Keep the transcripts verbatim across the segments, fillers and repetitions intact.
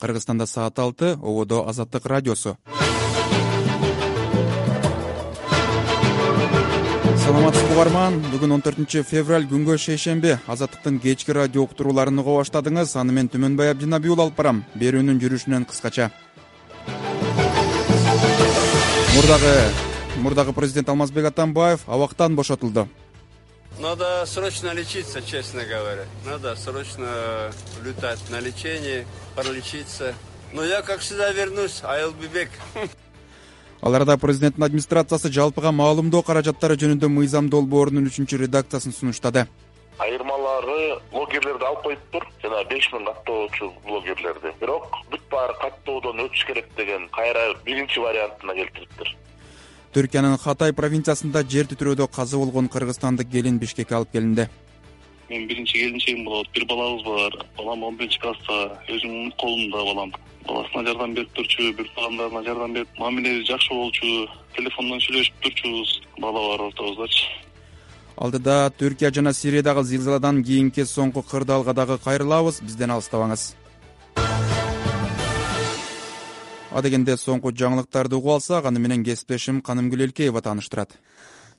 Кыргызстанда саат алты, ободо Азаттык радиосу. Саламатсызбы угарман, бүгүн он төртүнчү февраль күнгө шейшемби. Азаттыктын кечки радио уктурууларын уга баштадыңыз. Аны мен Түмөнбай Абдинабиул алып барам. Берүүнүн жүрүшүнөн кыскача. Мурдагы мурдагы президент Алмазбек Атамбаев абактан бошотулду. Надо срочно лечиться, честно говоря. Надо срочно летать на лечение, пролечиться. Но я, как всегда, вернусь. I will be back. Ал арада президенттин администрациясы жалпыга маалымдоо каражаттары жөнүндө мыйзам долбоорунун үчүнчү редакциясын сунуштады. Айырмалары блогерлерди алып коюптур, жана беш миң каттоочу блогерлерди. Бирок бүт баары каттоодон өтүш керек деген кайра биринчи вариантына келтириптир. Түркиянын Хатай провинциясында жер титирөөдө каза болгон кыргызстандык келин Бишкекке алып келинди. Мен биринчи келинчегим болот. Бир балабыз бар. Балам он биринчи класста, өзүмдүн колумда балам. Баласына жардам берип турчу, бир туугандарына жардам берип, мамилеси жакшы болчу, телефондон сүйлөшүп турчубуз, бала бар ортобуздачы. Алдыда Түркия жана Сириядагы зилзаладан кийинки соңку кырдаалга дагы кайрылабыз. Бизден алыстабаңыз. Адегенде соңку жаңылыктарды угуп алсак, аны менен кесиптешим Канымгүл Элкеева тааныштырат.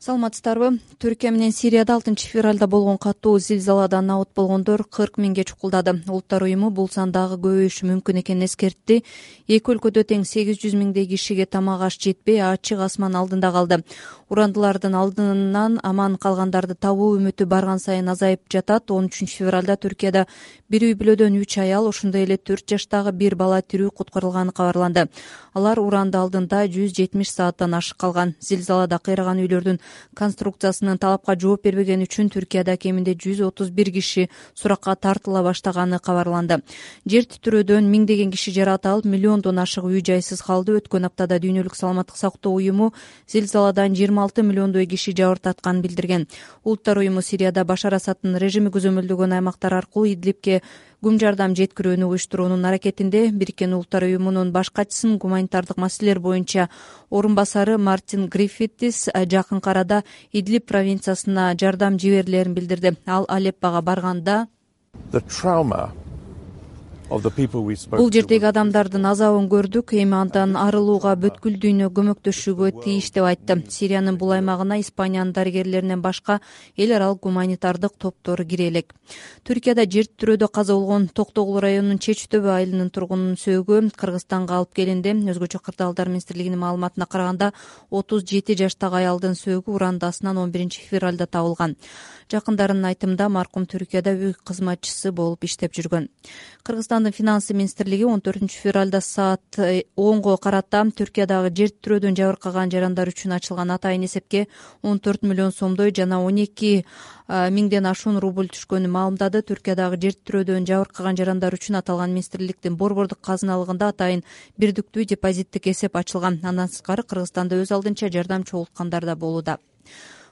Саламатсыздарбы? Түркия менен Сирияда алтынчы февралда болгон катуу зилзаладан абот болгондор кырк миңге чукулдады. Улуттар уюму бул сан дагы көбөйүшү мүмкүн экенин эскертти. Эки өлкөдө тең сегиз жүз миңдей кишиге тамак аш жетпей, ачык асман алдында калды. Урандылардын алдынан аман калгандарды табуу үмүтү барган сайын азайып жатат. он үчүнчү февралда Түркияда бир үй бүлөдөн үч аял, ошондой эле төрт жаштагы бир бала тирүү куткарылганы кабарланды. Алар уранды алдында жүз жетимиш сааттан ашык калган. Зилзалада кыйраган үйлөрдүн конструкциясынын талапка жооп бербегени үчүн Түркияда кеминде жүз отуз бир киши суракка тартыла баштаганы кабарланды. Жер титирөөдөн миңдеген киши жаракат алып, миллиондон ашык үй жайсыз калды. Өткөн аптада Дүйнөлүк саламаттык сактоо уюму зилзаладан жыйырма алты миллиондой киши жабыртатканын билдирген. Улуттар уюму Сирияда Башар Асадтын режими көзөмөлдөгөн аймактар аркылуу Идлибке күм жардам жеткирүүнү уюштуруунун аракетинде. Бириккен Улуттар уюмунун баш катчысынын гуманитардык маселелер боюнча орун басары Мартин Гриффитис жакынкы арада Идлиб провинциясына жардам жиберилерин билдирди. Ал Алеппага барганда бул жердеги адамдардын азабын көрдүк, эми андан арылууга бүткүл дүйнө көмөктөшүүгө тийиш деп айтты. Сириянын бул аймагына Испаниянын дарыгерлеринен башка эл аралык гуманитардык топтор кире элек. Түркияда жер титирөөдө каза болгон Токтогул районунун Чеч Төбө айылынын тургунунун сөөгү Кыргызстанга алып келинди. Өзгөчө кырдаалдар министрлигинин маалыматына караганда отуз жети жаштагы аялдын сөөгү урандасынан он биринчи февралда табылган. Жакындарынын айтымында маркум Түркияда үй кызматчысы болуп иштеп жүргөн. Кыргызстандын финансы министрлиги он төртүнчү февралда саат онго карата Түркиядагы жер титирөөдөн жабыркаган жарандар үчүн ачылган атайын эсепке он төрт миллион сомдой жана он эки миңден ашуун рубль түшкөнүн маалымдады. Түркиядагы жер титирөөдөн жабыркаган жарандар үчүн аталган министрликтин борбордук казыналыгында атайын бирдиктүү депозиттик эсеп ачылган. Андан сырткары Кыргызстанда өз алдынча жардам чогулткандар да болууда.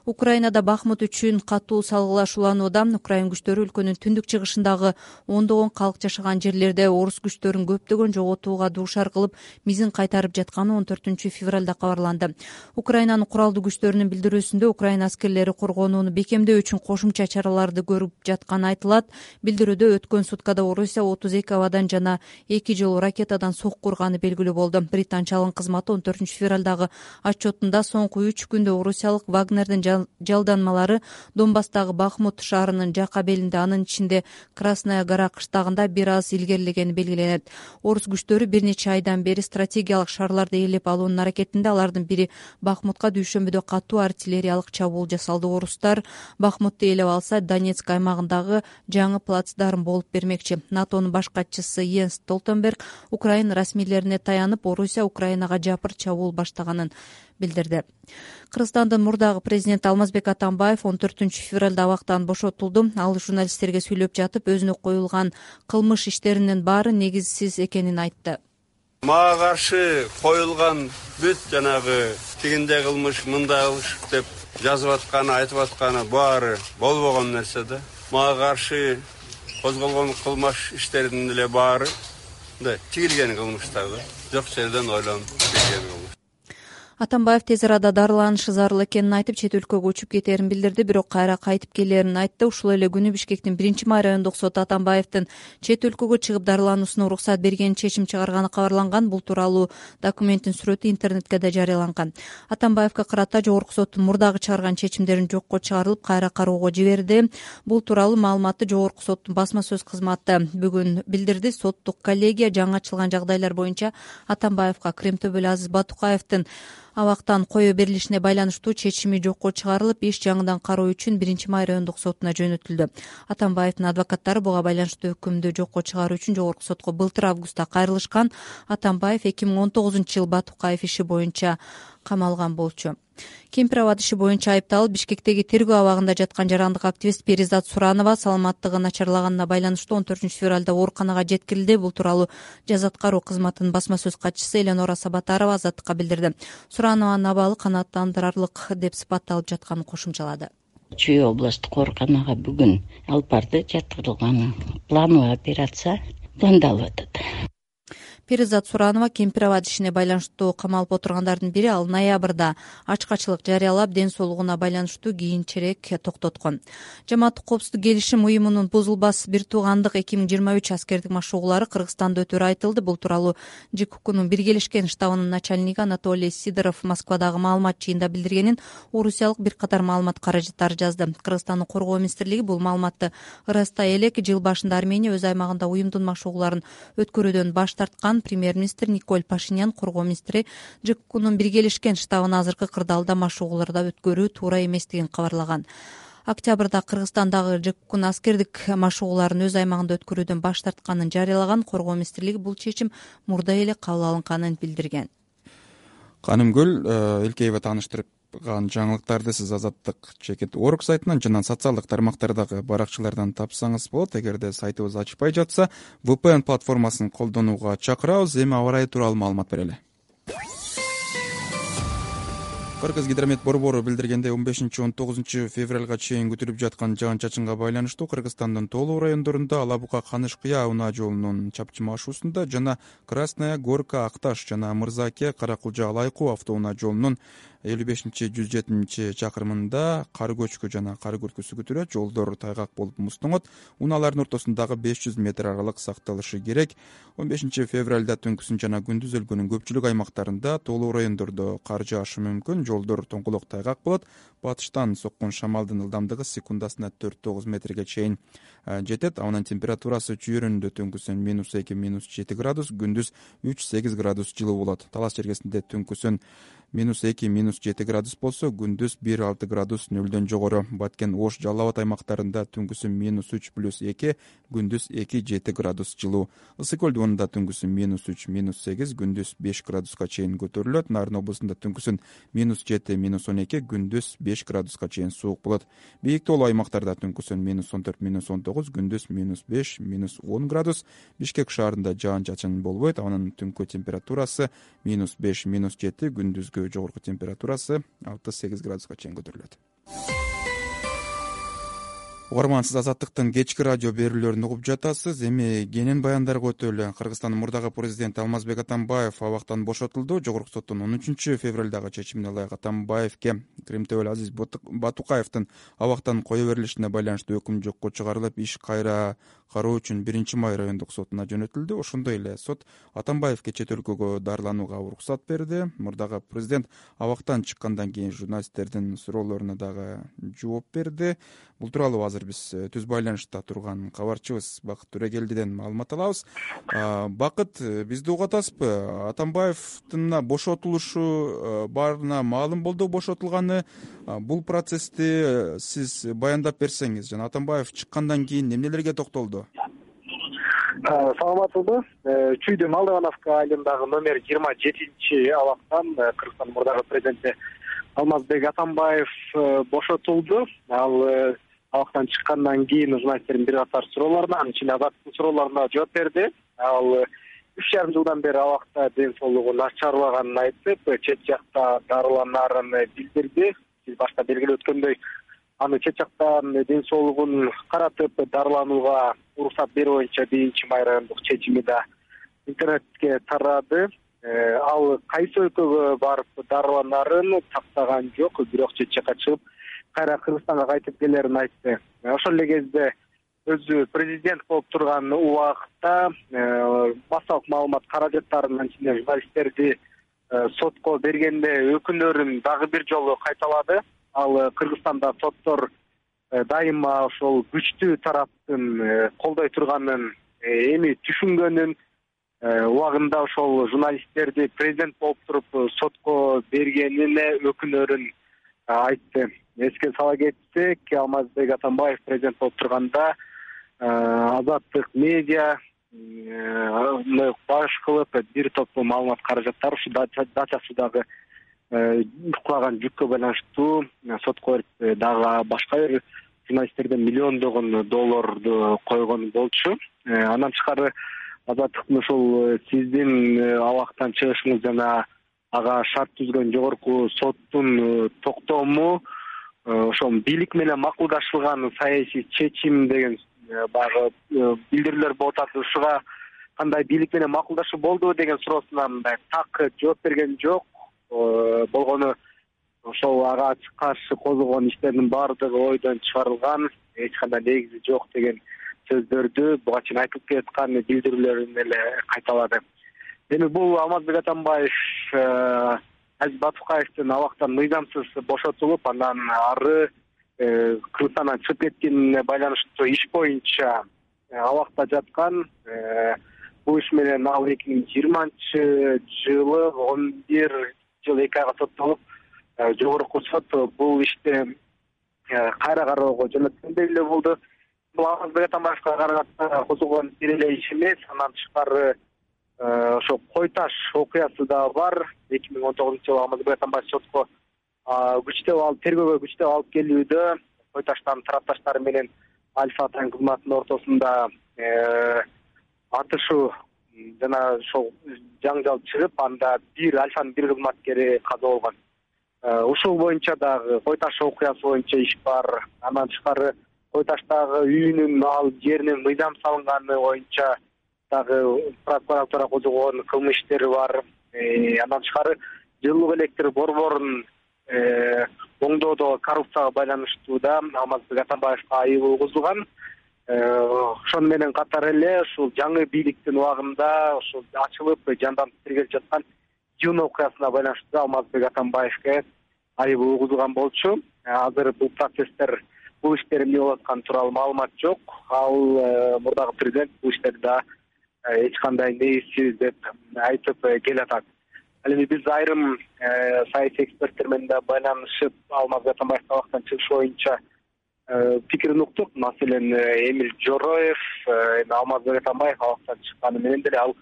Украинада Бахмут үчүн катуу салгылашууланууда. Украин күчтөрү өлкөнүн түндүк чыгышындагы ондогон калк жашаган жерлерде орус күчтөрүн көптөгөн жоготууга дуушар кылып, мизин кайтарып жатканы он төртүнчү февралда кабарланды. Украинанын куралдуу күчтөрүнүн билдирүүсүндө Украина аскерлери коргонууну бекемдөө үчүн кошумча чараларды көрүп жатканы айтылат. Билдирүүдө өткөн суткада Орусия отуз эки абадан жана эки жолу ракетадан сокку урганы белгилүү болду. Британчалык кызматы он төртүнчү февралдагы отчетунда соңку үч күндө орусиялык Вагнердин жалданмалары Донбасстагы Бахмут шаарынын жак абелинде, анын ичинде Красная гора кыштагында бир аз илгерилегени белгиленет. Орус күчтөрү бир нече айдан бери стратегиялык шаарларды ээлеп алуунун аракетинде. Алардын бири Бахмутка дүйшөмбүдө катуу артиллериялык чабуул жасалды. Орустар Бахмутты ээлеп алса, Донецк аймагындагы жаңы плацдарм болуп бермекчи. НАТОнун баш катчысы Йенс Столтенберг Украина расмийлерине таянып, Орусия Украинага жапыр чабуул баштаганын билдирди. Кыргызстандын мурдагы президенти Алмазбек Атамбаев он төртүнчү февралда абактан бошотулду. Ал журналисттерге сүйлөп жатып, өзүнө коюлган кылмыш иштеринин баары негизсиз экенин айтты. Мага каршы коюлган бүт жанагы тигинде кылмыш, мында кылмыш деп жазып атканы, айтып атканы баары болбогон нерсе да. Мага каршы козголгон кылмыш иштеринин эле баары да тигилген кылмыштар да. Жок жерден ойлонуп тигилген кылмыш. Атамбаев тез арада дарыланышы зарыл экенин айтып, чет өлкөгө учуп кетерин билдирди, бирок кайра кайтып келерин айтты. Ушул эле күнү Бишкектин биринчи май райондук соты Атамбаевдин чет өлкөгө чыгып дарылануусуна уруксат берген чечим чыгарганы кабарланган. Бул тууралуу документтин сүрөтү интернетке да жарыяланган. Атамбаевге карата жогорку соттун мурдагы чыгарган чечимдерин жокко чыгарылып, кайра кароого жиберди. Бул тууралуу маалыматты жогорку соттун басма сөз кызматы бүгүн билдирди. Соттук коллегия жаңы ачылган жагдайлар боюнча Атамбаевга Кремтөбөл Азиз Батукаевдин абактан кое берилишине байланыштуу чечими жокко чыгарылып, иш жаңыдан кароо үчүн биринчи май райондук сотуна жөнөтүлдү. Атамбаевдин адвокаттары буга байланыштуу өкүмдү жокко чыгаруу үчүн жогорку сотко былтыр августта кайрылышкан. Атамбаев эки миң он тогузунчу жыл Батукаев иши боюнча камалган болчу. Кемпир абад иши боюнча айыпталып, Бишкектеги тергөө абагында жаткан жарандык активист Перизат Суранова саламаттыгы начарлаганына байланыштуу он төртүнчү февралда ооруканага жеткирилди. Бул тууралуу жаза аткаруу кызматынын басма сөз катчысы Эленора Сабатарова Азаттыкка билдирди. Суранованын абалы канааттандырарлык деп сыпатталып жатканын кошумчалады. Чүй областтык ооруканага бүгүн алып барды. Жаткырылган плановый операция пландалып атат. Перизат Суранова Кемпир абад ишине байланыштуу камалып отургандардын бири. Ал ноябрда ачкачылык жарыялап, ден соолугуна байланыштуу кийинчерээк токтоткон. Жамааттык коопсуздук келишим уюмунун бузулбас бир туугандык эки миң жыйырма үч аскердик машыгуулары Кыргызстанда өтөрү айтылды. Бул тууралуу ЖКУКнун биргелешкен штабынын начальниги Анатолий Сидоров Москвадагы маалымат жыйында билдиргенин орусиялык бир катар маалымат каражаттары жазды. Кыргызстандын коргоо министрлиги бул маалыматты ырастай элек. Жыл башында Армения өз аймагында уюмдун машыгууларын өткөрүүдөн баш тарткан. Премьер-министр Николь Пашинян коргоо министри ЖКУКнун биргелешкен штабын азыркы кырдаалда машыгууларда өткөрүү туура эместигин кабарлаган. Октябрда Кыргызстандагы ЖКУКнун аскердик машыгууларын өз аймагында өткөрүүдөн баш тартканын жарыялаган. Коргоо министрлиги бул чечим мурда эле кабыл алынганын билдирген. Канымгүл Элкеева тааныштырып жаңылыктарды сиз Азаттык чекит орг сайтынан жана социалдык тармактардагы баракчылардан тапсаңыз болот. Эгерде сайтыбыз ачпай жатса, ви пи эн платформасын колдонууга чакырабыз. Эми аба ырайы тууралуу маалымат берели. Кыргыз гидромет борбору билдиргендей, он бешинчи он тогузунчу февралга чейин күтүлүп жаткан жаан-чачынга байланыштуу Кыргызстандын тоолуу райондорунда Ала Бука Каныш-Кыя унаа жолунун чапчыма ашуусунда жана Красная Горка Акташ жана Мырзаке Каракулжа Алайкуу автоунаа жолунун элүү бешинчи жүз жетиминчи чакырымында кар көчкү жана кар күркүсү күтүлөт. Жолдор тайгак болуп муздоңот. Унаалардын ортосундагы беш жүз метр аралык сакталышы керек. он бешинчи февралда түнкүсүн жана күндүз өлкөнүн көпчүлүк аймактарында тоолуу райондордо кар жаашы мүмкүн. Жолдор тоңкулок тайгак болот. Батыштан соккон шамалдын ылдамдыгы секундасына төрт тогуз метрге чейин жетет. Анын температурасы чүйөрүндө түнкүсүн минус эки минус жети градус, күндүз үч сегиз градус жылуу болот. Талас жергесинде түнкүсүн минус эки минус жети градус болсо, күндүз бир алты градус нөлдөн жогору. Баткен, Ош, Жалал Абад аймактарында түнкүсүн минус үч плюс эки, күндүз эки жети градус жылуу. Ысык көл дубунда түнкүсүн минус үч минус сегиз, күндүз беш градуска чейин көтөрүлөт. Нарын облусунда түнкүсүн минус жети минус он эки, күндүз беш градуска чейин суук болот. Бийик тоолуу аймактарда түнкүсүн минус он төрт минус он тогуз, күндүз минус беш минус он градус. Бишкек шаарында жаан-чачын болбойт. Анын түнкү температурасы минус беш минус жети, күндүзгү жогорку температурасы алты сегиз градуска чейин көтөрүлөт. Угарман, сиз Азаттыктын кечки радио берүүлөрүн угуп жатасыз. Эми кенен баяндарга өтөлү. Кыргызстандын мурдагы президенти Алмазбек Атамбаев абактан бошотулду. Жогорку соттун он үчүнчү февралдагы чечимине ылайык Атамбаевке Кремтөбөл Азиз Батукаевдин абактан кое берилишине байланыштуу өкүм жокко чыгарылып, иш кайра кароо үчүн биринчи май райондук сотуна жөнөтүлдү. Ошондой эле сот Атамбаевке чет өлкөгө дарыланууга уруксат берди. Мурдагы президент абактан чыккандан кийин журналисттердин суроолоруна дагы жооп берди. Бул тууралуу азыр биз түз байланышта турган кабарчыбыз Бакыт Төрөгелдиден маалымат алабыз. Бакыт, бизди угуп атасызбы? Атамбаевдин бошотулушу баарына маалым болду бошотулганы. Бул процессти сиз баяндап берсеңиз, жана Атамбаев чыккандан кийин эмнелерге токтолду? Саламатсызбы? Чүйдө Малдывановка айылындагы номер жыйырма жетинчи абактан Кыргызстандын мурдагы президенти Алмазбек Атамбаев бошотулду. Ал абактан чыккандан кийин журналисттердин бир катар суроолоруна, анын ичинде Азаттыктын суроолоруна жооп берди. Ал үч жарым жылдан бери абакта ден соолугу начарлаганын айтып, чет жакта дарыланарын билдирди. Биз башта белгилеп өткөндөй, аны чет жактан ден соолугун каратып дарыланууга уруксат берүү боюнча биринчи май райондук чечими да интернетке тарады. ал кайсы өлкөгө барып дарыланарын тактаган жок, бирок чет жакка чыгып кайра Кыргызстанга кайтып келерин айтты. Ошол эле кезде өзү президент болуп турган убакта массалык маалымат каражаттарын анча журналисттерди сотко бергенде өкүнөрүн дагы бир жолу кайталады. Ал Кыргызстанда соттор дайыма ошол күчтүү тараптын колдой турганын эми түшүнгөнүн, убагында ошол журналисттерди президент болуп туруп сотко бергенине өкүнөрүн айтты. Эске сала кетсек, Алмазбек Атамбаев президент болуп турганда Азаттык медиа баш кылып бир топ маалымат каражаттар ушу дачасындагы кулаган жүккө байланыштуу сотко берип, дагы башка бир журналисттерден миллиондогон долларды койгон болчу. Андан тышкары Азаттыктын ушул сиздин абактан чыгышыңыз жана ага шарт түзгөн жогорку соттун токтому ошол бийлик менен макулдашылган саясий чечим деген багы билдирүүлөр болуп атат. Ушуга кандай бийлик менен макулдашуу болдубу деген суроосуна мындай так жооп берген жок. Болгону ошол ага каршы козголгон иштердин баардыгы ойдон чыгарылган, эч кандай негизи жок деген сөздөрдү буга чейин айтылып келаткан билдирүүлөрүн эле кайталады. Эми бул Алмазбек Атамбаев Азиз Батукаевдин абактан мыйзамсыз бошотулуп, андан ары Кыргызстандан чыгып кеткенине байланыштуу иш боюнча абакта жаткан. Бул иш менен ал эки миң жыйырманчы жылы он бир жыл эки айга соттолуп, жогорку сот бул ишти кайра кароого жөнөткөндөй эле болду. Бул Алмазбек Атамбаевга карата козголгон бир эле иш эмес, андан тышкары ошо Кой Таш окуясы да бар. эки миң он тогузунчу жылы Алмазбек Атамбаев сотко күчтөп алып, тергөөгө күчтөп алып келүүдө Кой Таштан тарапташтары менен Альфа Атайын кызматынын ортосунда атышуу жана ошол жаңжал чыгып, анда бир Альфанын бир кызматкери каза болгон. Ушул боюнча дагы Кой Таш окуясы боюнча иш бар. Андан тышкары Кой Таштагы үйүнүн, ал жеринин мыйзам салынганы боюнча дагы прокуратура козгогон кылмыш иштери бар. Андан тышкары жылуу электр борборун оңдоодо коррупцияга байланыштуу да Алмазбек Атамбаевга айып угузулган. Ошону менен катар эле ушул жаңы бийликтин убагында ушул ачылып жанданып тергелип жаткан Жун окуясына байланыштуу Алмазбек Атамбаевге айып угузулган болчу. Азыр бул процесстер, бул иштер эмне болуп атканы тууралуу маалымат жок. Ал мурдагы президент бул иштерде эч кандай негизсиз деп айтып келатат. Ал эми биз айрым саясий эксперттер менен да байланышып, Алмазбек Атамбаевдин абактан чыгышы боюнча пикирин уктук. Маселен, Эмиль Жороев, Алмазбек Атамбаев абактан чыкканы менен деле ал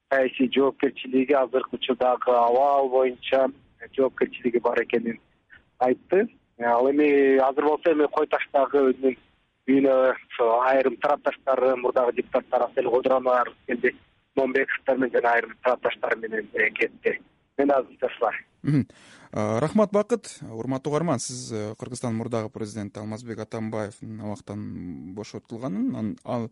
саясий жоопкерчилиги, азыркы учурдагы абал боюнча жоопкерчилиги бар экенин айтты. Ал эми азыр болсо эми Кой Таштагы өзүнүн үйүнө ошо айрым тарапташтары, мурдагы депутаттар Асель Кодуранова келди, Момбековдор менен жана айрым тарапташтар менен кетти. Мен азыр ташлар. Рахмат, Бакыт. Урматтуу угарман, сиз Кыргызстандын мурдагы президенти Алмазбек Атамбаевдин абактан бошотулганын, ал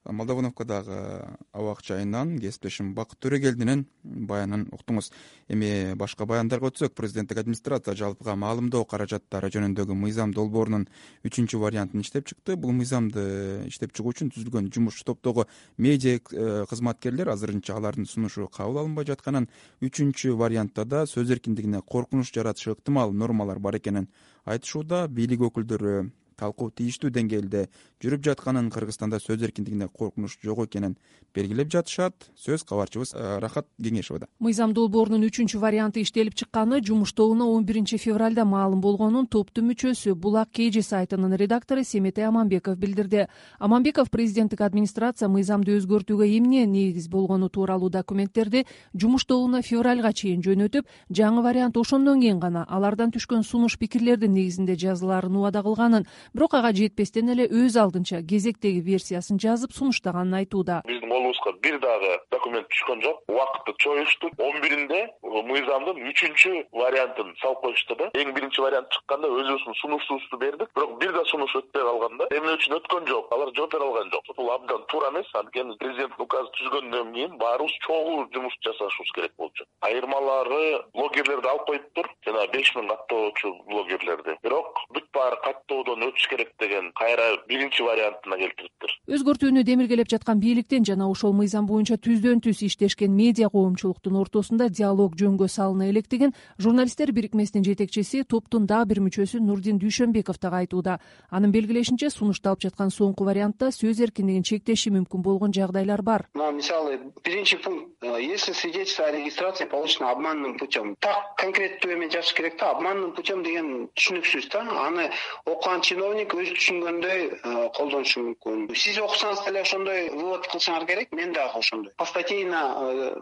Молдовановкадагы абак жайынан кесиптешим Бакыт Төрөгелдинин баянын уктуңуз. Эми башка баяндарга өтсөк, президенттик администрация жалпыга маалымдоо каражаттары жөнүндөгү мыйзам долбоорунун үчүнчү вариантын иштеп чыкты. Бул мыйзамды иштеп чыгуу үчүн түзүлгөн жумуш топтогу медиа кызматкерлер азырынча алардын сунушу кабыл алынбай жатканын, үчүнчү вариантта да сөз эркиндигине коркунуч жаратышы ыктымал нормалар бар экенин айтышууда. Бийлик өкүлдөрү талкуу тийиштүү деңгээлде жүрүп жатканын, Кыргызстанда сөз эркиндигине коркунуч жок экенин белгилеп жатышат. Сөз кабарчыбыз Рахат Кеңешовдо. Мыйзам долбоорунун үчүнчү варианты иштелип чыкканы жумуш тобуна он биринчи февралда маалым болгонун топтун мүчөсү, Булак Кеже сайтынын редактору Семетей Аманбеков билдирди. Аманбеков президенттик администрация мыйзамды өзгөртүүгө эмне негиз болгону тууралуу документтерди жумуш тобуна февралга чейин жөнөтүп, жаңы вариант ошондон кийин гана алардан түшкөн сунуш пикирлердин негизинде жазылаарын убада кылганын, бирок ага жетпестен эле өз алдына алдынча кезектеги версиясын жазып сунуштаганын айтууда. Биздин колубузга бир дагы документ түшкөн жок. Убакытты чоюшту. он биринде мыйзамдын үчүнчү вариантын салып коюшту да. Эң биринчи вариант чыкканда өзүбүздүн сунушубузду бердик. Бирок бир да сунуш өтпөй калганда эмне үчүн өткөн жок? Алар жооп бере алган жок. Бул абдан туура эмес. Анткени президенттин указы түзгөндөн кийин баарыбыз чогуу жумуш жасашыбыз керек болчу. Айырмалары блогерлерди алып коюптур. Жана беш миң каттоочу блогерлерди. Бирок бүт баары каттоодон өтүш керек деген кайра биринчи вариантына келтириптир. Өзгөртүүнү демилгелеп жаткан бийликтен жана ошол мыйзам боюнча түздөн түз иштешкен медиа коомчулуктун ортосунда диалог жөнгө салына электигин журналисттер бирикмесинин жетекчиси, топтун дагы бир мүчөсү Нурдин Дүйшөнбеков дагы айтууда. Анын белгилешинче, сунушталып жаткан соңку вариантта сөз эркиндигин чектеши мүмкүн болгон жагдайлар бар. Мисалы, биринчи пункт: если свидетельство о регистрации получено обманным путем. Так конкреттүү эме жазыш керек да. Обманным путем деген түшүнүксүз да. Аны окуган чиновник өзү түшүнгөндөй колдонушу мүмкүн. Сиз окусаңыз деле ошондой вывод кылсаңар керек, мен дагы ошондой. Постатейно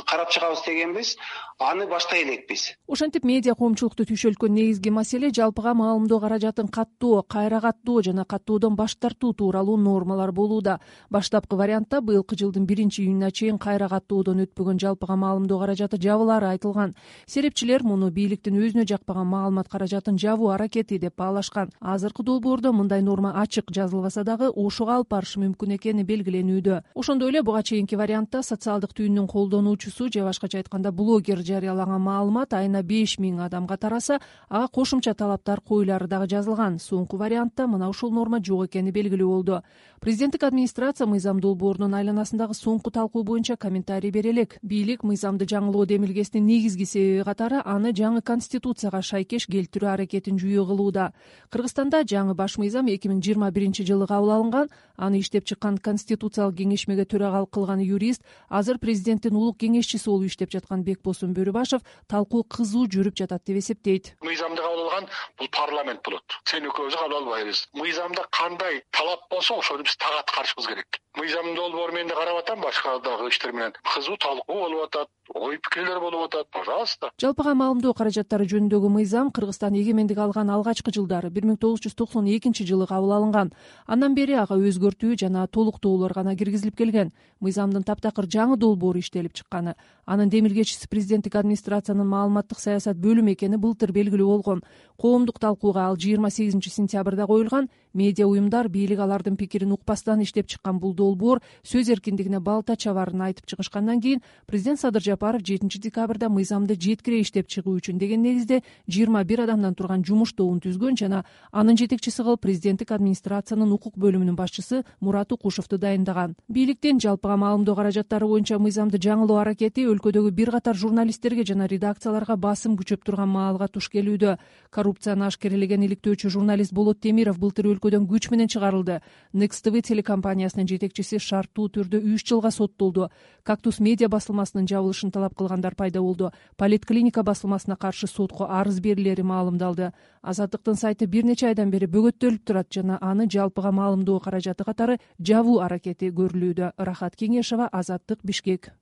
карап чыгабыз дегенбиз, аны баштай элекпиз. Ошентип медиа коомчулукту түйшөлткөн негизги маселе жалпыга маалымдоо каражатын каттоо, кайра каттоо жана каттоодон баш тартуу тууралуу нормалар болууда. Баштапкы вариантта быйылкы жылдын биринчи июнуна чейин кайра каттоодон өтпөгөн жалпыга маалымдоо каражаты жабылары айтылган. Серепчилер муну бийликтин өзүнө жакпаган маалымат каражатын жабуу аракети деп баалашкан. Азыркы долбоордо мындай норма ачык жазылбаса дагы ошого алып барышы мүмкүн экени белгиленүүдө. Ошондой эле буга чейинки вариантта социалдык түйүнүн колдонуучусу же башкача айтканда блогер жарыялаган маалымат айына беш миң адамга тараса, ага кошумча талаптар коюлары дагы жазылган. Соңку вариантта мына ушул норма жок экени белгилүү болду. Президенттик администрация мыйзам долбоорунун айланасындагы соңку талкуу боюнча комментарий бере элек. Бийлик мыйзамды жаңылоо демилгесинин негизги себеби катары аны жаңы конституцияга шайкеш келтирүү аракетин жүйө кылууда. Кыргызстанда жаңы баш мыйзам эки миң жыйырма биринчи жылы кабыл алынган. Аны иштеп чыккан конституциялык кеңешмеге төрагалык кылган юрист, азыр президенттин улук кеңешчиси болуп иштеп жаткан Бекбосун Бөрүбашев талкуу кызуу жүрүп жатат деп эсептейт. Мыйзамды кабыл алган бул парламент болот. Сен экөөбүз кабыл албайбыз. Мыйзамда кандай талап болсо ошону биз так аткарышыбыз керек. Мыйзам долбоору мен да карап атам, башка дагы иштер менен кызуу талкуу болуп атат, ой пикирлер болуп атат. Пожалуйста. Жалпыга маалымдоо каражаттары жөнүндөгү мыйзам Кыргызстан эгемендик алган алгачкы жылдары бир миң тогуз жүз токсон экинчи жылы кабыл алынган. Андан бери ага өзгөртүү жана толуктоолор гана киргизилип келген. Мыйзамдын таптакыр жаңы долбоору иштелип чыкканы. Анын демилгечиси президенттик администрациянын маалыматтык саясат бөлүмү экени былтыр белгилүү болгон. Коомдук талкууга ал жыйырма сегизинчи сентябрда коюлган. Медиа уюмдар бийлик алардын пикирин укпастан иштеп чыккан бул долбоор сөз эркиндигине балта чабарын айтып чыгышкандан кийин президент Садыр Жапаров жетинчи декабрда мыйзамды жеткире иштеп чыгуу үчүн деген негизде жыйырма бир адамдан турган жумуш тобун түзгөн жана анын жетекчиси кылып президенттик администрациянын укук бөлүмүнүн башчысы Мурат Укушевду дайындаган. Бийликтин жалпыга маалымдоо каражаттары боюнча мыйзамды жаңылоо аракети өлкөдөгү бир катар журналисттерге жана редакцияларга басым күчөп турган маалга туш келүүдө. Коррупцияны ашкерелеген иликтөөчү журналист Болот Темиров былтыр өлкөдөн күч менен чыгарылды. Next ти ви телекомпаниясынын жетекчиси шарттуу түрдө үч жылга соттолду. Кактус медиа басылмасынын жабылышын талап кылгандар пайда болду. Политклиника басылмасына каршы сотко арыз берилери маалымдалды. Азаттыктын сайты бир нече айдан бери бөгөттөлүп турат жана аны жалпыга маалымдоо каражаты катары жабуу аракети көрүлүүдө. Рахат Кеңешова, Азаттык, Бишкек.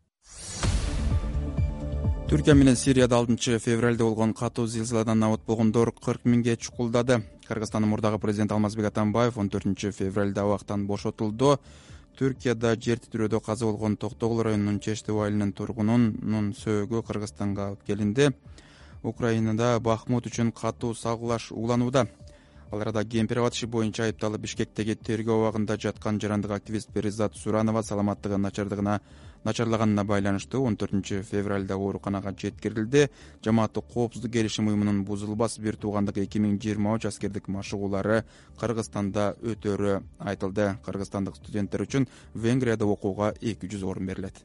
Түркия менен Сирияда алтынчы февралда болгон катуу зилзаладан абат болгондор кырк миңге чукулдады. Кыргызстандын мурдагы президенти Алмазбек Атамбаев он төртүнчү февралда абактан бошотулду. Түркияда жер титирөөдө каза болгон Токтогул районунун Чештеп айылынын тургунунун сөөгү Кыргызстанга алып келинди. Украинада Бахмут үчүн катуу сагылаш уланууда. Ал арада Кемпир иши боюнча айыпталып Бишкектеги тергөө абагында жаткан жарандык активист Перизат Суранова саламаттыгы начардыгына начарлаганына байланыштуу он төртүнчү февралда ооруканага жеткирилди. Жамааттык коопсуздук келишим уюмунун бузулбас бир туугандык эки миң жыйырма үч аскердик машыгуулары Кыргызстанда өтөрү айтылды. Кыргызстандык студенттер үчүн Венгрияда окууга эки жүз орун берилет.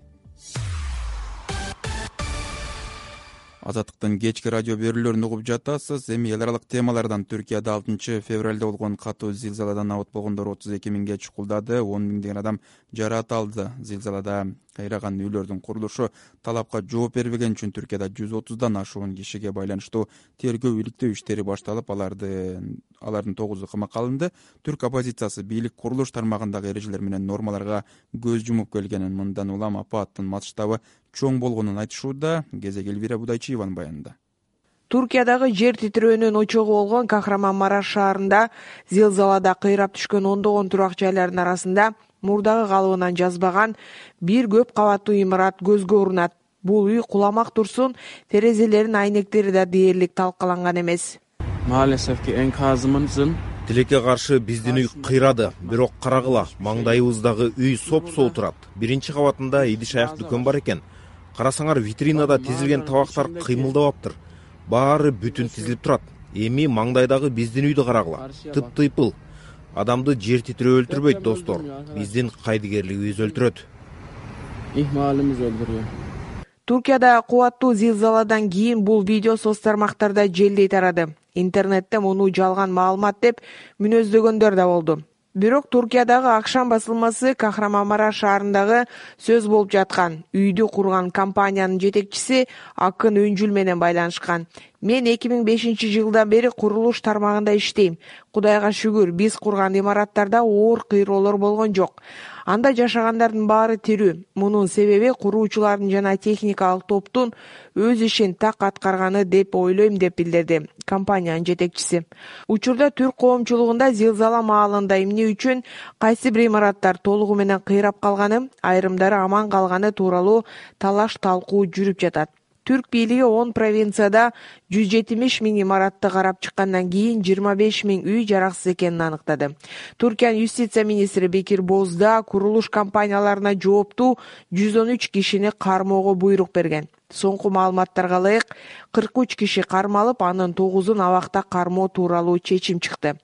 Азаттыктын кечки радио берүүлөрүн угуп жатасыз. Эми эл аралык темалардан. Түркияда алтынчы февралда болгон катуу зилзаладан абат болгондор отуз эки миңге чукулдады. он миңдеген адам жараат алды. Зилзалада кыйраган үйлөрдүн курулушу талапка жооп бербеген үчүн Түркияда жүз отуздан ашуун кишиге байланыштуу тергөө иликтөө иштери башталып, алардын алардын тогузу камакка алынды. Түрк оппозициясы бийлик курулуш тармагындагы эрежелер менен нормаларга көз жумуп келгенин, мындан улам апаттын масштабы чоң болгонун айтышууда. Кезек Элвира Будайчиеванын баянында. Туркиядагы жер титирөөнүн очогу болгон Кахраманмараш шаарында зилзалада кыйрап түшкөн ондогон турак жайлардын арасында мурдагы калыбынан жазбаган бир көп кабаттуу имарат көзгө урунат. Бул үй куламак турсун, терезелеринин айнектери да дээрлик талкаланган эмес. Тилекке каршы биздин үй кыйрады, бирок карагыла, маңдайыбыздагы үй соп-соо турат. Биринчи кабатында идиш аяк дүкөн бар экен. Карасаңар, витринада тизилген табактар кыймылдабаптыр. Баары бүтүн тизилип турат. Эми маңдайдагы биздин үйдү карагыла. Тып-тыйпыл. Адамды жер титирөө өлтүрбөйт, достор. Биздин кайдыгерлигибиз өлтүрөт. Ихмалыбыз өлтүрөт. Туркияда кубаттуу зилзаладан кийин бул видео соц тармактарда желдей тарады. Интернетте муну жалган маалымат деп мүнөздөгөндөр да болду. Бирок Туркиядагы Акшам басылмасы Кахраманмараш шаарындагы сөз болуп жаткан үйдү курган компаниянын жетекчиси Акын Өнжүл менен байланышкан. Мен эки миң бешинчи жылдан бери курулуш тармагында иштейм. Кудайга шүгүр, биз курган имараттарда оор кыйроолор болгон жок. Анда жашагандардын баары тирүү. Мунун себеби куруучулардын жана техникалык топтун өз ишин так аткарганы деп ойлойм, деп билдирди компаниянын жетекчиси. Учурда түрк коомчулугунда зилзала маалында эмне үчүн кайсы бир имараттар толугу менен кыйрап калганы, айрымдары аман калганы тууралуу талаш талкуу жүрүп жатат. Түрк бийлиги он провинцияда жүз жетимиш миң имаратты карап чыккандан кийин жыйырма беш миң үй жараксыз экенин аныктады. Туркиянын юстиция министри Бекир Бозда курулуш компанияларына жооптуу жүз он үч кишини кармоого буйрук берген. Соңку маалыматтарга ылайык кырк үч киши кармалып, анын тогузун абакта кармоо тууралуу чечим чыкты.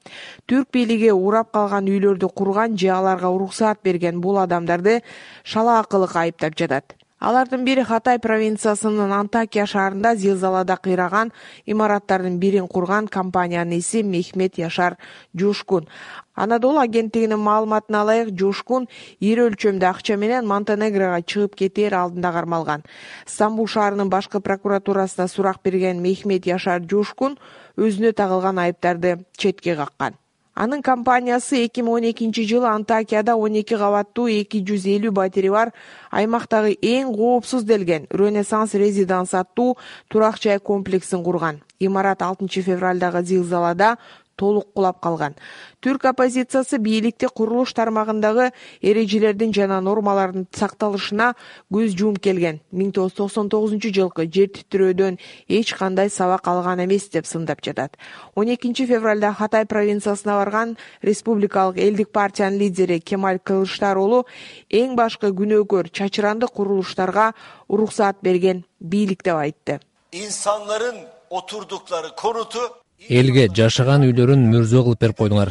Түрк бийлиги урап калган үйлөрдү курган же аларга уруксаат берген бул адамдарды шалаакылык айыптап жатат. Алардын бири Хатай провинциясынын Антакия шаарында зилзалада кыйраган имараттардын бирин курган компаниянын иси Мехмет Яшар Жушкун. Анадолу агенттигинин маалыматына ылайык, Жушкун ири өлчөмдө акча менен Монтенегрого чыгып кетээр алдында кармалган. Стамбул шаарынын башкы прокуратурасына сурак берген Мехмет Яшар Жушкун өзүнө тагылган айыптарды четке каккан. Анын компаниясы эки миң он экинчи жылы Антакияда он эки кабаттуу эки жүз элүү батири бар аймактагы эң коопсуз делген Ренессанс Резиданс аттуу турак жай комплексин курган. Имарат алтынчы февралдагы зилзалада толук кулап калган. Түрк оппозициясы бийликти курулуш тармагындагы эрежелердин жана нормалардын сакталышына көз жумуп келген. миң тогуз жүз токсон тогузунчу жылкы жер титирөөдөн эч кандай сабак алган эмес деп сындап жатат. он экинчи февралда Хатай провинциясына барган Республикалык элдик партиянын лидери Кемаль Кылычдароğlu эң башкы күнөөкөр чачыранды курулуштарга уруксаат берген бийлик деп айтты. İnsanların oturdukları konutu Элге жашаган үйлөрүн мөрзө кылып берип койдуңар.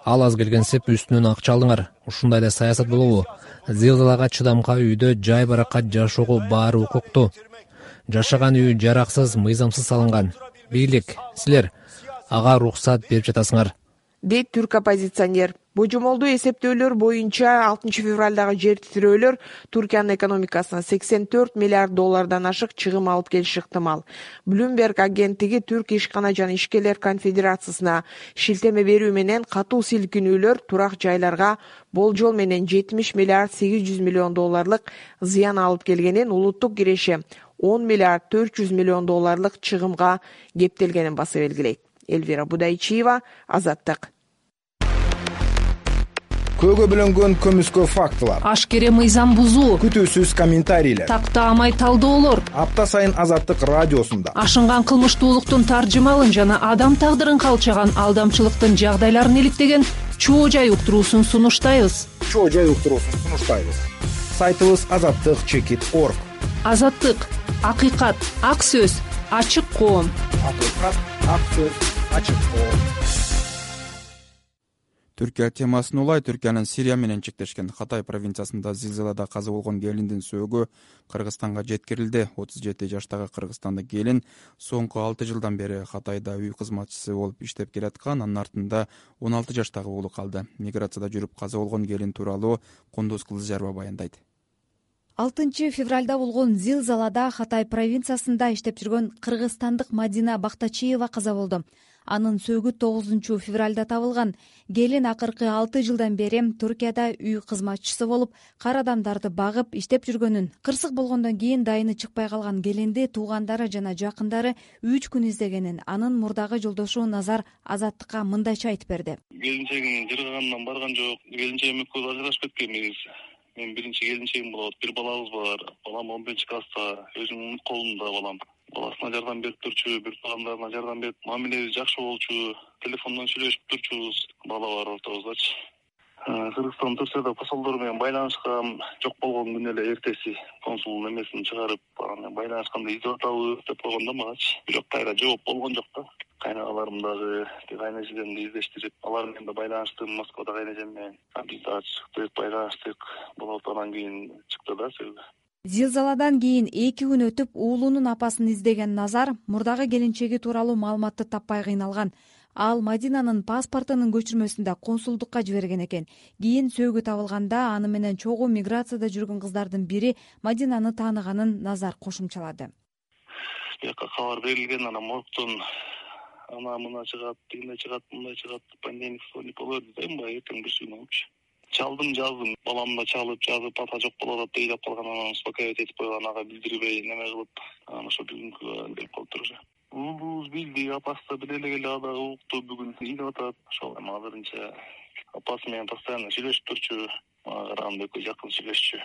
Ал аз келгенсеп үстүнөн акча алдыңар. Ушундай эле саясат болобу? Зилзалага чыдамкай үйдө жай баракат жашоого баары укуктуу. Жашаган үй жараксыз, мыйзамсыз салынган. Бийлик, силер ага уруксаат берип жатасыңар, дейт түрк оппозиционер. Божомолдуу эсептөөлөр боюнча алтынчы февралдагы жер титирөөлөр Туркиянын экономикасына сексен төрт миллиард доллардан ашык чыгым алып келиши ыктымал. Bloomberg агенттиги Түрк ишкана жана ишкерлер конфедерациясына шилтеме берүү менен катуу силкинүүлөр турак жайларга болжол менен жетимиш миллиард сегиз жүз миллион долларлык зыян алып келгенин, улуттук киреше он миллиард төрт жүз миллион долларлык чыгымга кептелгенин баса белгилейт. Эльвира Будайчиева, Азаттык. Көөгө бөлөнгөн көмүскө фактылар, ашкере мыйзам бузуу, күтүүсүз комментарийлер, тактаамай талдоолор апта сайын Азаттык радиосунда ашынган кылмыштуулуктун таржымалын жана адам тагдырын калчаган алдамчылыктын жагдайларын иликтеген чоо жай уктуруусун сунуштайбыз. Чоо жай уктуруусун сунуштайбыз. Сайтыбыз азаттык чекит точка орг. Азаттык, акыйкат, ак сөз, ачык коом. Акыйкат, ак сөз, ачык коом. Түркия темасын улай Түркиянын Сирия менен чектешкен Хатай провинциясында зилзалада каза болгон келиндин сөөгү Кыргызстанга жеткирилди. отуз жети жаштагы кыргызстандык келин соңку алты жылдан бери Хатайда үй кызматчысы болуп иштеп келаткан, анын артында он алты жаштагы уулу калды. Миграцияда жүрүп каза болгон келин тууралуу Кундуз Кылычжарова баяндайт. алтынчы февралда болгон зилзалада Хатай провинциясында иштеп жүргөн кыргызстандык Мадина Бактачиева каза болду. Анын сөөгү тогузунчу февралда табылган. Келин акыркы алты жылдан бери Туркияда үй кызматчысы болуп, кар адамдарды багып иштеп жүргөнүн, кырсык болгондон кийин дайыны чыкпай калган келинди туугандары жана жакындары үч күн издегенин анын мурдагы жолдошу Назар Азаттыкка мындайча айтып берди. Келинчегим жыргагандан барган жок. Келинчегим экөөбүз ажырашып кеткенбиз. Мен биринчи келинчегим болот. Бир балабыз бар. Балам он биринчи класста. Өзүмдүн колумда балам. Баласына жардам берип турчу, бир туугандарына жардам берип, мамилеби жакшы болчу, телефондон сүйлөшүп турчубуз. Бала бар ортобуздачы. Кыргызстан Туркияда посолдор менен байланышкан, жок болгон күнү эле эртеси консулдун эмесин чыгарып, анан байланышканда издеп атабыз деп койгондо магачы. Бирок кайра жооп болгон жок да. Кайнагаларым дагы, кайнежемди издештирип, алар менен да байланыштым, Москвада кайнежем менен. Биз дагы чыктык, байланыштык. Болот анан кийин чыкты да сөөгү. Зилзаладан кийин эки күн өтүп уулунун апасын издеген Назар мурдагы келинчеги тууралуу маалыматты таппай кыйналган. Ал Мадинанын паспортунун көчүрмөсүн да консулдукка жиберген экен. Кийин сөөгү табылганда аны менен чогуу миграцияда жүргөн кыздардын бири Мадинаны тааныганын Назар кошумчалады. Бияка кабар берилген, анан моргтон ана мына чыгат, тигине чыгат, мындай чыгат, пандемик вторник болот дейм ба, эртең бир күн болчу. Чалдым, жаздым. Баламды чалып, жазып, ата жок болуп атат дейт калган, анан успокаивать этип койгон, ага билдирбей, неме кылып, анан ошо бүгүнкү деп калыптыр уже. Уулубуз билди, апасы да биле эле, ада укту, бүгүн ийип атат. Ошол эми азырынча апасы менен постоянно сүйлөшүп турчу, мага караганда экөө жакын сүйлөшчү.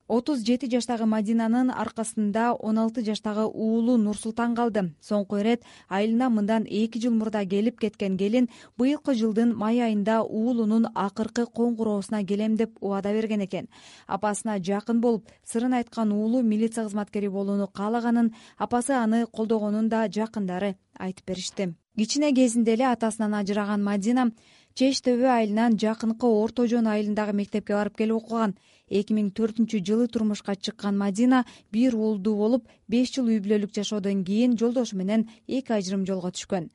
отуз жети жаштагы Мадинанын аркасында он алты жаштагы уулу Нурсултан калды. Соңку ирет айылына мындан эки жыл мурда келип кеткен келин быйылкы жылдын май айында уулунун акыркы коңгуроосуна келем деп убада берген экен. Апасына жакын болуп, сырын айткан уулу милиция кызматкери болууну каалаганын, апасы аны колдогонун да жакындары айтып беришти. Кичине кезинде эле атасынан ажыраган Мадина Чеч Төбө айылынан жакынкы Орто Жон айылындагы мектепке барып келип окуган. эки миң төртүнчү жылы турмушка чыккан Мадина бир уулдуу болуп, беш жыл үй бүлөлүк жашоодон кийин жолдошу менен эки ажырым жолго түшкөн.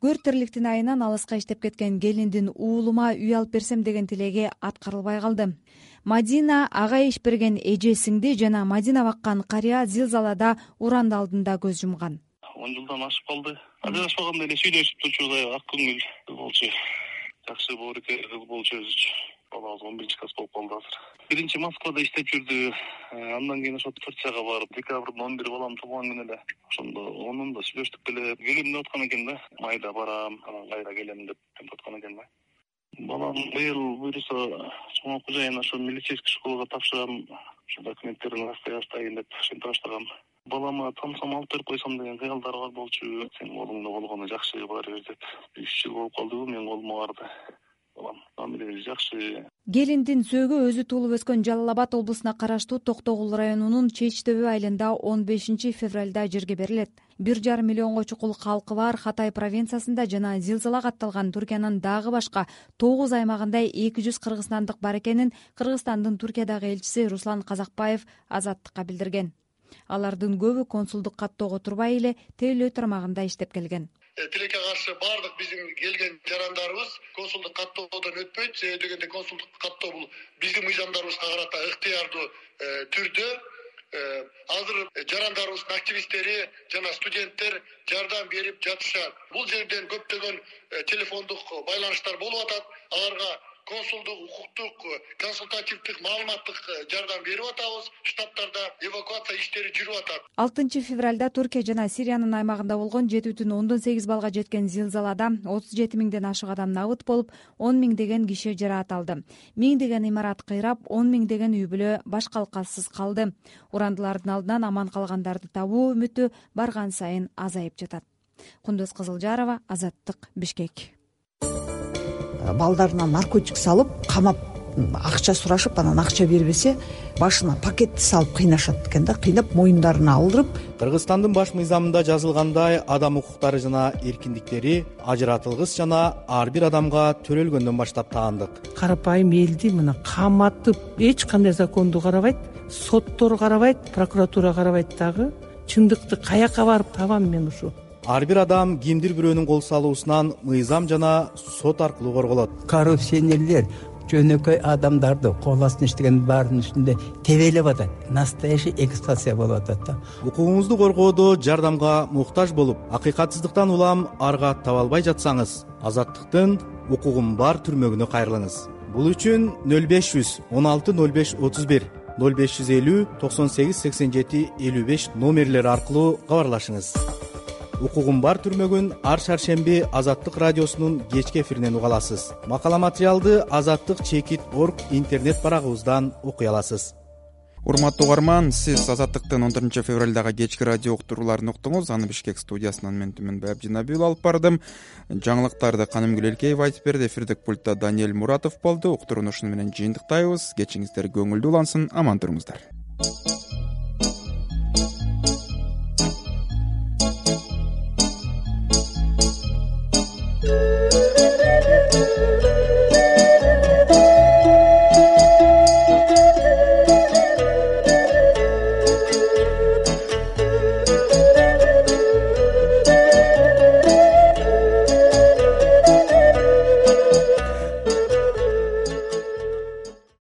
Көр тирликтин айынан алыска иштеп кеткен келиндин уулума үй алып берсем деген тилеги аткарылбай калды. Мадина ага иш берген эже сиңди жана Мадина баккан карыя зилзалада уранды алдында көз жумган. он жылдан ашып калды. Ажырашпаганда эле сүйлөшүп турчубуз, ак көңүл болчу. Жакшы боорукер кыз болчу өзүчү. Балабыз он биринчи класс болуп калды азыр. Биринчи Москвада иштеп жүрдү. Андан кийин ошо Турцияга барып, декабрдын он бир балам туулган күнү эле. Ошондо онун да сүйлөштүк эле. Келем деп аткан экен да. Майда барам, анан кайра келем деп аткан экен да. Балам быйыл буйруса чоң окуу жайына ошо милицейский школага тапшырам. Ошо документтерин астайын деп ошентип баштагам. Балама тамсам алып берип койсом деген кыялдар бар болчу. Сенин колуңда болгону жакшы бар бир деп. үч жыл болуп калдыбы менин колума барды. Балам мамилеси жакшы. Келиндин сөөгү өзү туулуп өскөн Жалал Абад облусуна караштуу Токтогул районунун Чеч Төбө айылында он бешинчи февралда жерге берилет. бир жарым миллионго чукул калкы бар Хатай провинциясында жана зилзала катталган Туркиянын дагы башка тогуз аймагында эки жүз кыргызстандык бар экенин Кыргызстандын Туркиядагы элчиси Руслан Казакбаев Азаттыкка билдирген. Алардын көбү консулдук каттоого турбай эле тейлөө тармагында иштеп келген. Тилекке каршы бардык биздин келген жарандарыбыз консулдук каттоодон өтпөйт. Себеби дегенде консулдук каттоо бул биздин мыйзамдарыбызга карата ыктыярдуу түрдө. Азыр жарандарыбыздын активисттери жана студенттер жардам берип жатышат. Бул жерден көптөгөн телефондук байланыштар болуп атат. Аларга консулдук, укуктук, консультативдик, маалыматтык жардам берип атабыз. Штаттарда эвакуация иштери жүрүп атат. алтынчы февралда Туркия жана Сириянын аймагында болгон жети бүтүн ондон сегиз балга жеткен зилзалада отуз жети миңден ашык адам набыт болуп, он миңдеген киши жараат алды. Миңдеген имарат кыйрап, он миңдеген үй бүлө баш калкасыз калды. Урандылардын алдынан аман калгандарды табуу үмүтү барган сайын азайып жатат. Кундуз Кызылжарова, Азаттык, Бишкек. Балдарына наркотик салып, камап, акча сурашып, анан акча бербесе, башына пакетти салып кыйнашат экен да, кыйнап моюндарына алдырып. Кыргызстандын баш мыйзамында жазылгандай адам укуктары жана эркиндиктери ажыратылгыс жана ар бир адамга төрөлгөндөн баштап таандык. Карапайым элди мына каматып, эч кандай законду карабайт, соттор карабайт, прокуратура карабайт дагы. Чындыкты каяка барып табам мен ушу? Ар бир адам кимдир бирөөнүн кол салуусунан мыйзам жана сот аркылуу корголот. Коррупционерлер жөнөкөй адамдарды кол астына иштеген баарынын үстүндө тебелеп атат. Настоящий эксплуатация болуп атат да. Укугуңузду коргоодо жардамга муктаж болуп, акыйкатсыздыктан улам арга таба албай жатсаңыз, Азаттыктын укугум бар түрмөгүнө кайрылыңыз. Бул үчүн нөл беш жүз он алты нөл беш отуз бир, нөл беш жүз элүү токсон сегиз сексен жети элүү беш номерлери аркылуу кабарлашыңыз. Укугум бар түрмөгүн ар шаршемби Азаттык радиосунун кечки эфиринен уга аласыз. Макала материалды Азаттык чекит орг интернет барагыбыздан окуй аласыз. Урматтуу угарман, сиз Азаттыктын он төртүнчү февралдагы кечки радио уктурууларын уктуңуз. Аны Бишкек студиясынан мен Түмөнбай Абдинабиұлы алып бардым. Жаңылыктарды Канымгүл Элкеева айтып берди. Эфирдик пультта Даниэль Муратов болду. Уктурууну ушуну менен жыйынтыктайбыз. Кечиңиздер көңүлдүү улансын, аман туруңуздар.